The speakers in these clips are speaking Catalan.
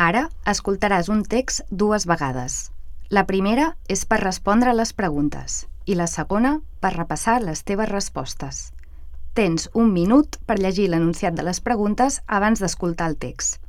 Ara escoltaràs un text 2 vegades. La primera és per respondre a les preguntes i la segona per repassar les teves respostes. Tens 1 minut per llegir l'enunciat de les preguntes abans d'escoltar el text.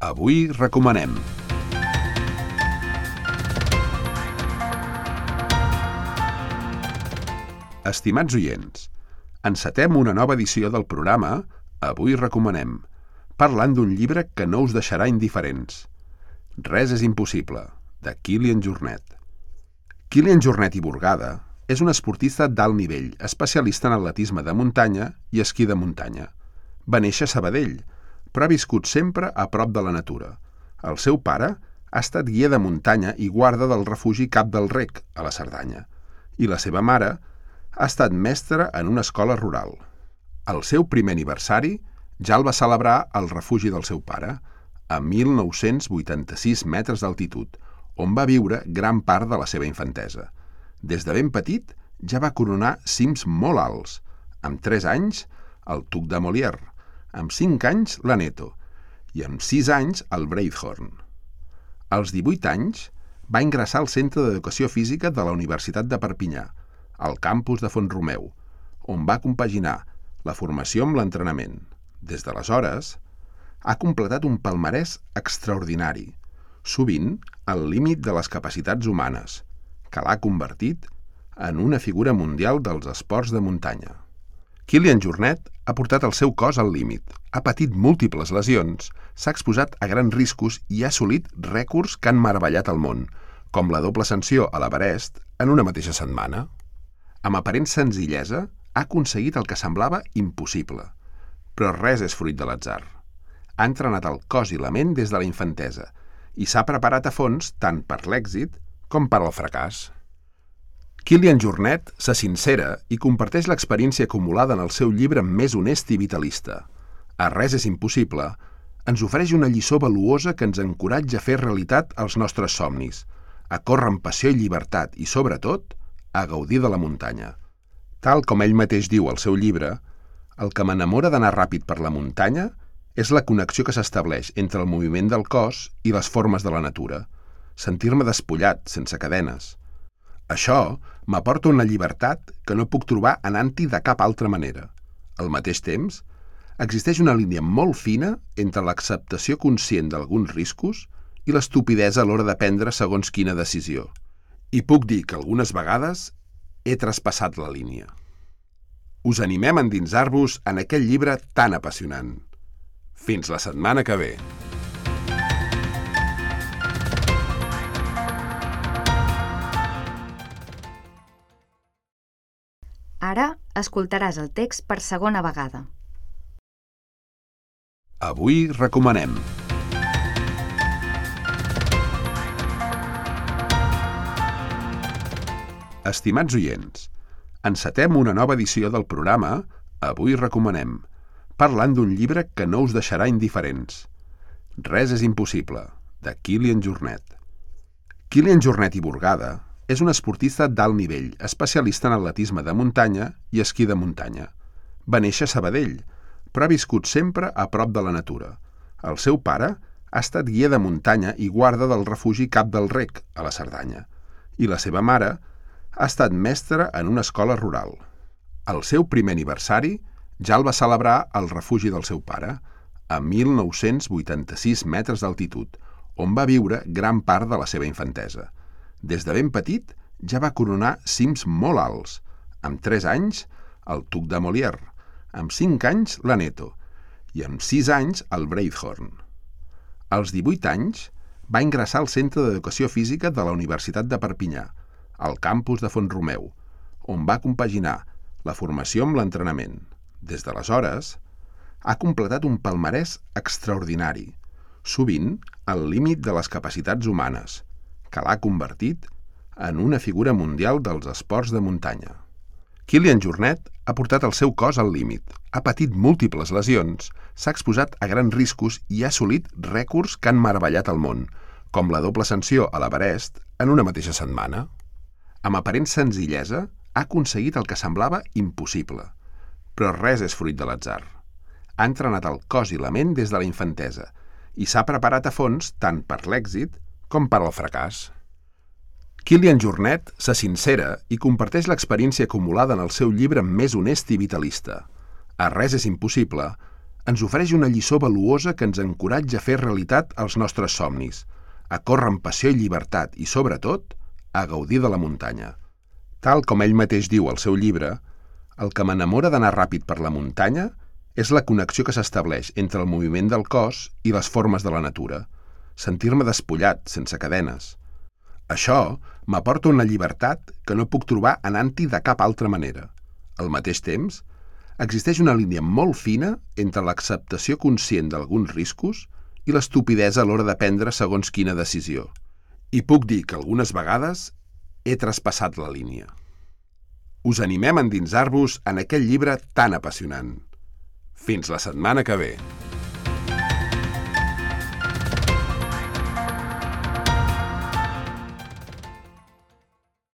Avui recomanem. Estimats oients, encetem una nova edició del programa Avui recomanem, parlant d'un llibre que no us deixarà indiferents. Res és impossible, de Kilian Jornet. Kilian Jornet i Burgada és un esportista d'alt nivell, especialista en atletisme de muntanya i esquí de muntanya. Va néixer a Sabadell, però ha viscut sempre a prop de la natura. El seu pare ha estat guia de muntanya i guarda del refugi Cap del Rec, a la Cerdanya, i la seva mare ha estat mestra en una escola rural. El seu primer aniversari ja el va celebrar al refugi del seu pare, a 1.986 metres d'altitud, on va viure gran part de la seva infantesa. Des de ben petit ja va coronar cims molt alts, amb 3 anys el Tuc de Molière, amb 5 anys l'Aneto i amb 6 anys el Breithorn. Als 18 anys va ingressar al Centre d'Educació Física de la Universitat de Perpinyà, al campus de Font-romeu, on va compaginar la formació amb l'entrenament. Des d'aleshores, ha completat un palmarès extraordinari, sovint al límit de les capacitats humanes, que l'ha convertit en una figura mundial dels esports de muntanya. Kilian Jornet ha portat el seu cos al límit, ha patit múltiples lesions, s'ha exposat a grans riscos i ha assolit rècords que han meravellat el món, com la doble ascensió a l'Everest en una mateixa setmana. Amb aparent senzillesa, ha aconseguit el que semblava impossible. Però res és fruit de l'atzar. Ha entrenat el cos i la ment des de la infantesa i s'ha preparat a fons tant per l'èxit com per al fracàs. Kilian Jornet se sincera i comparteix l'experiència acumulada en el seu llibre més honest i vitalista. A Res és impossible ens ofereix una lliçó valuosa que ens encoratja a fer realitat els nostres somnis, a córrer amb passió i llibertat i, sobretot, a gaudir de la muntanya. Tal com ell mateix diu al seu llibre, el que m'enamora d'anar ràpid per la muntanya és la connexió que s'estableix entre el moviment del cos i les formes de la natura, sentir-me despullat, sense cadenes. Això m'aporta una llibertat que no puc trobar anant-hi de cap altra manera. Al mateix temps, existeix una línia molt fina entre l'acceptació conscient d'alguns riscos i l'estupidesa a l'hora de prendre segons quina decisió. I puc dir que algunes vegades he traspassat la línia. Us animem a endinsar-vos en aquest llibre tan apassionant. Fins la setmana que ve. Ara escoltaràs el text per segona vegada. Avui recomanem. Estimats oients, encetem una nova edició del programa Avui recomanem, parlant d'un llibre que no us deixarà indiferents. Res és impossible, de Kilian Jornet. Kilian Jornet i Burgada és un esportista d'alt nivell, especialista en atletisme de muntanya i esquí de muntanya. Va néixer a Sabadell, però ha viscut sempre a prop de la natura. El seu pare ha estat guia de muntanya i guarda del refugi Cap del Rec, a la Cerdanya, i la seva mare ha estat mestra en una escola rural. El seu primer aniversari ja el va celebrar al refugi del seu pare, a 1.986 metres d'altitud, on va viure gran part de la seva infantesa. Des de ben petit ja va coronar cims molt alts, amb 3 anys el Tuc de Molière, amb 5 anys l'Aneto i amb 6 anys el Breithorn. Als 18 anys va ingressar al Centre d'Educació Física de la Universitat de Perpinyà, al campus de Font-romeu, on va compaginar la formació amb l'entrenament. Des d'aleshores, ha completat un palmarès extraordinari, sovint al límit de les capacitats humanes, que l'ha convertit en una figura mundial dels esports de muntanya. Kilian Jornet ha portat el seu cos al límit, ha patit múltiples lesions, s'ha exposat a grans riscos i ha assolit rècords que han meravellat el món, com la doble ascensió a l'Everest en una mateixa setmana. Amb aparent senzillesa, ha aconseguit el que semblava impossible. Però res és fruit de l'atzar. Ha entrenat el cos i la ment des de la infantesa i s'ha preparat a fons tant per l'èxit com per al fracàs. Kilian Jornet se sincera i comparteix l'experiència acumulada en el seu llibre més honest i vitalista. A Res és impossible ens ofereix una lliçó valuosa que ens encoratja a fer realitat els nostres somnis, a córrer amb passió i llibertat i, sobretot, a gaudir de la muntanya. Tal com ell mateix diu al seu llibre, el que m'enamora d'anar ràpid per la muntanya és la connexió que s'estableix entre el moviment del cos i les formes de la natura, sentir-me despullat, sense cadenes. Això m'aporta una llibertat que no puc trobar anant-hi de cap altra manera. Al mateix temps, existeix una línia molt fina entre l'acceptació conscient d'alguns riscos i l'estupidesa a l'hora de prendre segons quina decisió. I puc dir que algunes vegades he traspassat la línia. Us animem a endinsar-vos en aquest llibre tan apassionant. Fins la setmana que ve!